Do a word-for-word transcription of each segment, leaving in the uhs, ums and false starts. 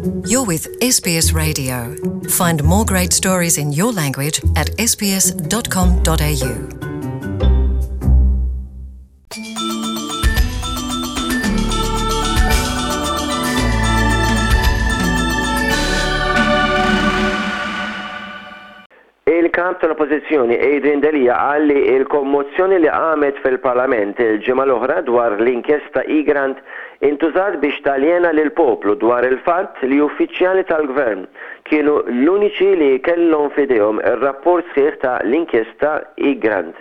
You're with S B S Radio. Find more great stories in your language at S B S dot com dot A U. Il-kap tal-Oppożizzjoni Adrian Delia qal li il-kommozzjoni li qamet fil-Parlament il-ġimgħa l-oħra dwar l-inkjesta Egrant intużat biex taljena lil poplu dwar il-fatt li uffiċjali tal-gvern kienu l-uniċi li kellhom f'idejhom ir-rapport sħiħ ta' l-inkjesta Egrant.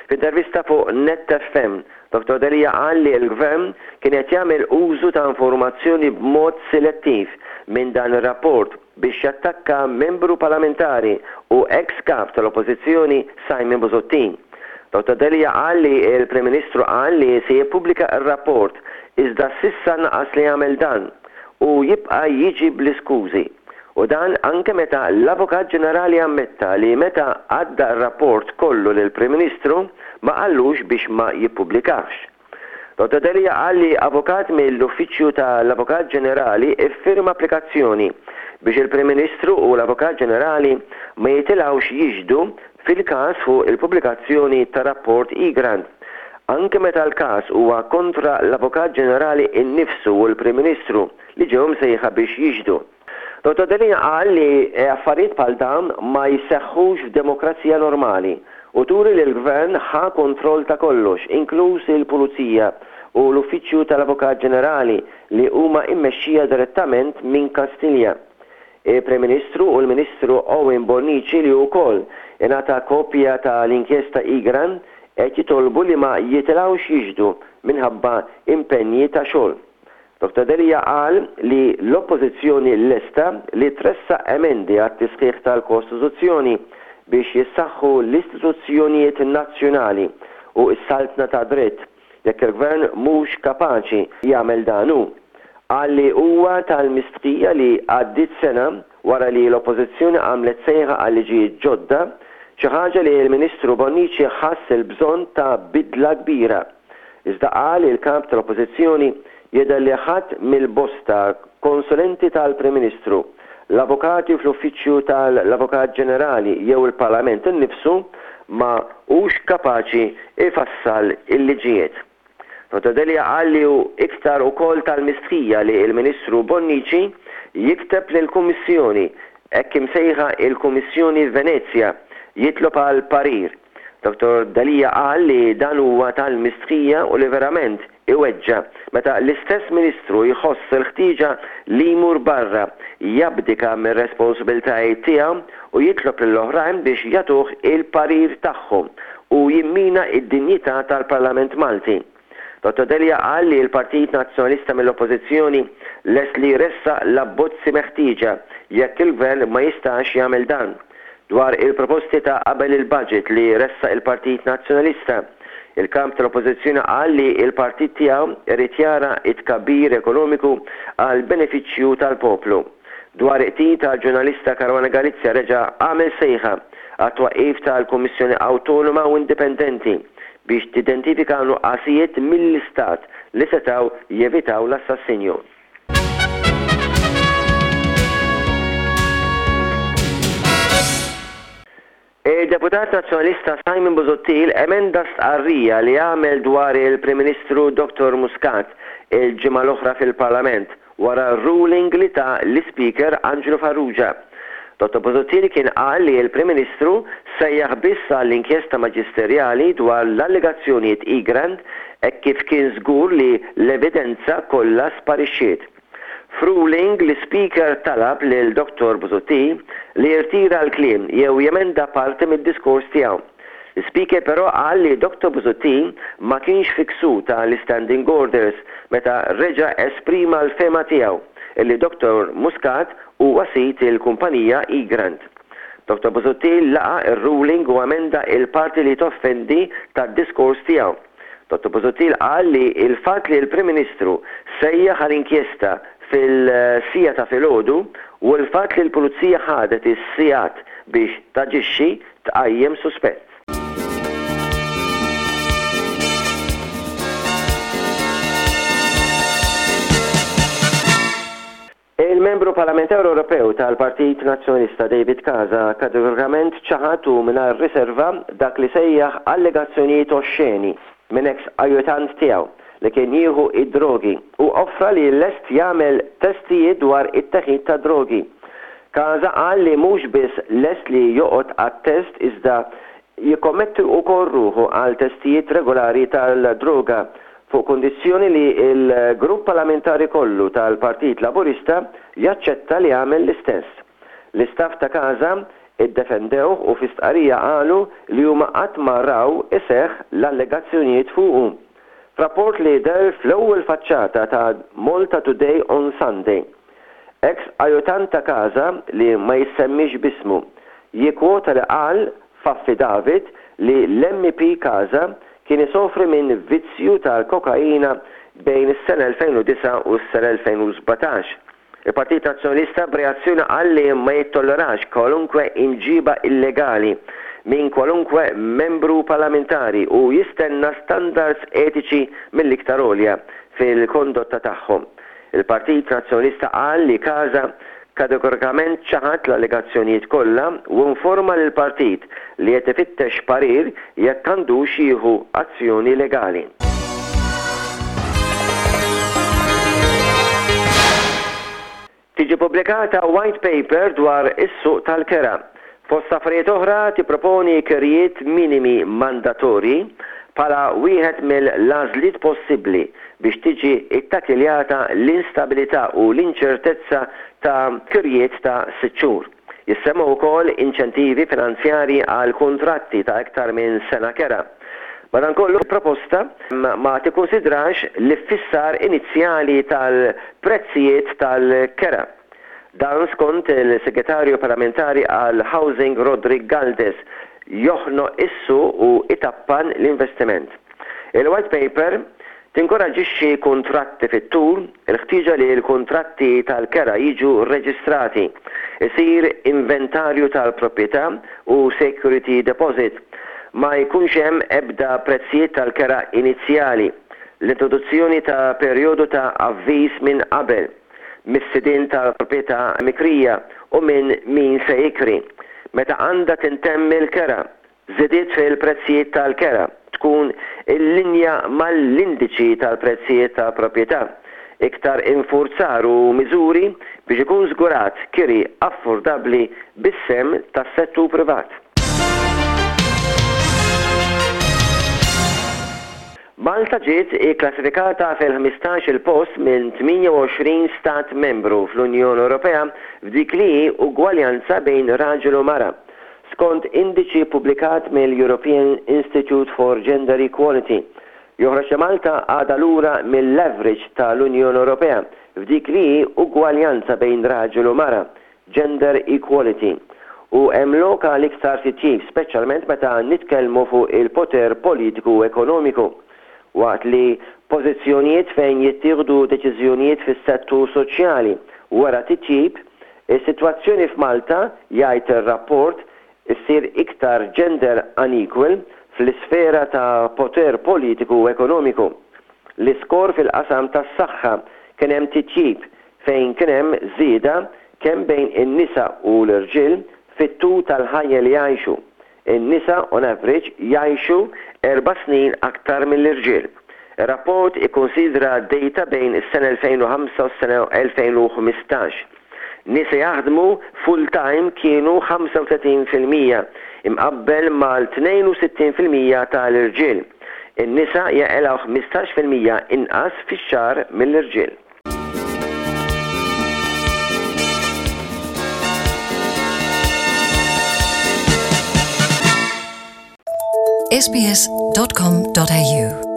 F'intervista fuq Net F M, Dottor Delia qal li l-gvern kien qed jagħmel użu ta' informazzjoni b'mod selettiv minn dan ir-rapport biex jattakka membru parlamentari u ex-kap tal-Oppożizzjoni Simon Busuttil. Dottor Delia qal li il-Prim Ministru qal li se jippubblika r-rapport, iżda s'issa naqas li jagħmel dan u jibqa' jiġi bl-iskużi. U dan anke meta l-Avukat Ġenerali ammetta li meta għadda r-rapport kollu lil Prim Ministru ma qallux biex ma jippubblikax. Dottor Delia qal li avukat mill-Uffiċċju tal-Avukat Ġenerali iffirma applikazzjoni biex il-Prim Ministru u l-Avukat Ġenerali ma jitilgħux jixhdu fil-każ fuq il-pubblikazzjoni ta' rapport Egrant, anke meta l-każ huwa kontra l-Avukat Ġenerali innifsu u l-Prim Ministru li ġew msejħa biex jixhdu. Dottor Delia qal li affarijiet bħal dawn ma jseħħux f'demokrazija normali u turi li l-gvern ħa kontroll ta' kollox, inkluż il-Pulizija u l-Uffiċċju tal-Avukat Ġenerali li huma immexxija direttament minn Kastilja. Il-Prim Ministru u l-Ministru Owen Bonnici, li wkoll ingħata kopja tal-inkjesta Egrant, qed jitolbu li ma jitilgħux jixhdu minħabba impenji ta' xogħol. Dottor Delia qal li l-Oppożizzjoni lesta li tressaq emendi għat-tisħiħ tal-Kostituzzjoni biex jissaħħu l-istituzzjonijiet nazzjonali u s-saltna ta' dritt jekk il-gvern mhux kapaċi jagħmel dan hu. Qal li huwa tal-mistħija li għaddit sena wara li l-Oppożizzjoni għamlet sejħa għal liġijiet ġodda, xi ħaġa li l-Ministru Bonnici ħass il-bżonn ta' bidla kbira. Iżda, qal il-kap tal-Oppożizzjoni, jidher li ħadd mill-bosta konsulenti tal-Prim Ministru, l-avukati fl-Uffiċċju tal-Avukat Ġenerali jew il-Parlament innifsu ma hux kapaċi ifassal il-liġijiet. Dottor Delia qal li hu iktar ukoll tal-mistħija li il-Ministru Bonnici jikteb lill-Kummissjoni, hekk imsejħa il-Kummissjoni Venezja, jitlob għal parir. Dottor Delia qal li dan huwa tal-mistħija u li verament iweġġa meta l-istess Ministru jħoss il-ħtieġa li jmur barra, jabdika mir-responsabbiltajiet tiegħu u jitlob lill-oħrajn biex jagħtuh il-parir tagħhom u jimmina id-dinjità tal-Parlament Malti. Dottor Delia qal li l-Partit Nazzjonalista mill-Oppożizzjoni lest li jressaq l-abbozzi meħtieġa jekk il-gvern ma jistax jagħmel dan. Dwar il-proposti ta' qabel il-budget li ressaq il-Partit Nazzjonalista, il-kap tal-Oppożizzjoni qal li il-partit tiegħu irid jara it-tkabbir ekonomiku għal benefiċċju tal-poplu. Dwar il-qtil tal-ġurnalista Caruana Galizia, reġa' għamel sejħa għat-twaqqif tal-Kummissjoni Awtonoma u Indipendenti biex tidentifika nuqqasijiet mill-Istat li setaw jevitaw l-assassinju. Il-deputat nazzjonalista Simon Busuttil emenda stqarrija li għamel dwar il-Prim Ministru Dottor Muscat il-ġimgħa l-oħra fil-Parlament wara ruling li ta l-Speaker Angelo Farrugia. Dottor Busuttil kien qal li l-Prim Ministru sejjaħ biss għall-inkjesta maġisterjali dwar l-allegazzjonijiet Egrant hekk kif kien żgur li l-evidenza kollha sparixxiet. F'ruling, l-Speaker talab lil Dottor Busuttil li jirtira l-kliem jew jemenda parti mid-diskors tiegħu. L-Speaker però qal li Dottor Busuttil ma kienx fi ksur tal-standing orders meta reġa' esprima l-fehma tiegħu illi Dottor Muscat huwa sid il-kumpanija Egrant. Dottor Busuttil laqa il-ruling u amenda il-parti li toffendi tad-diskors tiegħu. Dottor Busuttil qal li il-fatt li l-Prim Ministru sejjaħ għal-inkjesta fis-siegħa ta' filgħodu u l-fatt li l-Pulizija ħadet is-sigħat biex taġixxi tqajjem suspett. Il-membru parlamentari Ewropew tal-Partit Nazzjonalista David Casa kategorikament ċaħad u mingħajr riserva dak li sejjaħ allegazzjonijiet oxxeni minn ex ajutant tiegħu li kien jieħu id-drogi u offra li lest jagħmel testijiet dwar it-teħid ta' drogi. Casa qal li mhux biss lest li joqgħod għat-test iżda jikkommetti wkoll ruħu għal testijiet regolari tal-droga fuq kondizzjoni li il-grupp parlamentari kollu tal-Partit Laburista jaċċetta li jagħmel l-istess. L-istaff ta' Casa iddefendew u fi stqarrija qalu li huma qatt ma raw iseħħ l-allegazzjonijiet fuqu. Rapport li deher fl-ewwel faċċata ta' Malta Today on Sunday. Ex ajutant ta' Casa li ma jissemmix b'ismu jikkwota li qal f'affidavit li l-M P Casa kien isofri minn vizzju tal-kokaina bejn is-sena elfejn u disgħa u s-sena elfejn u sbatax. Il-Partit Nazzjonalista b'reazzjoni qal li ma jittollerax kwalunkwe imġiba illegali minn kwalunkwe membru parlamentari u jistenna standards etiċi mill-iktar għolja fil-kondotta tagħhom. Il-Partit Nazzjonalista qal li Casa kategorikament ċaħad l-allegazzjonijiet kollha u informa lill partit li qed ifittex parir jekk għandux jieħu azzjoni legali. Tiġi pubblikata white paper dwar is-suq tal-kera. Fost affarijiet oħra tipproponi kirjiet minimi mandatorji bħala wieħed mill-għażliet possibbli biex tiġi ittakiljata l-instabilità u l-inċertezza ta' kirjiet ta' sitt xhur. Jissemmu wkoll inċentivi finanzjari għal kontratti ta' iktar minn sena kera. Madankollu proposta ma tikkonsidrax l-iffissar inizjali tal-prezzijiet tal-kera. Dan skont il-Segretarju Parlamentari għal Housing Roderick Galdes joħnoq is-suq u itappan l-investiment. Il-white paper tinkoraġixxi kontratti fit-tul, il-ħtieġa li l-kontratti tal-kera jiġu reġistrati, isir inventarju tal-proprjetà u security deposit, ma jkunx hemm ebda prezzijiet tal-kera inizjali, l-introduzzjoni ta' perjodu ta' avviż minn qabel, mis-sidin tal-proprjetà mikrija u minn min se jikri. Meta għandha tintemm il-kera, żidiet fil-prezzijiet tal-kera tkun in linja mal-indiċi tal-prezzijiet tal-proprjetà. Iktar infurzar u miżuri biex ikun żgurat kiri affordabbli bis-sehem tas-settur privat. Malta ġiet ikklassifikata fil-ħmistax-il post minn tmienja u għoxrin stat membru fl-Unjoni Ewropea f'dik li hi ugwaljanza bejn raġel u mara. Skont indiċi publikat mill-European Institute for Gender Equality, joħroġ li Malta għadha lura mill-average tal-Unjoni Ewropea f'dik li hi ugwaljanza bejn raġel u mara, gender equality. U hemm lok għal iktar titjib, speċjalment meta nitkellmu fuq il-poter politiku u ekonomiku. Waqt li pożizzjonijiet fejn jittieħdu deċiżjonijiet fis-settur soċjali wara titjib, is-sitwazzjoni f'Malta, jgħid ir-rapport, issir iktar gender unequal fl-isfera ta' poter politiku u ekonomiku. L-iskor fil-qasam tas-saħħa kien hemm titjib fejn kien hemm żieda kemm bejn in-nisa u l-irġiel fit-tul tal-ħajja li jgħixu. In-nisa on average jgħixu erba' snin aktar mill-irġiel. Ir-rapport ikkonsidra data bejn is-sena elfejn u ħamsa u s-sena elfejn u ħmistax. Nisa jaħdmu full-time kienu ħamsa u tletin fil-mija imqabbel mal-tnejn u sittin fil-mija tal-irġiel. In-nisa jaqilgħu ħmistax fil-mija inqas fix-xahar mill-irġiel. S B S dot com dot A U.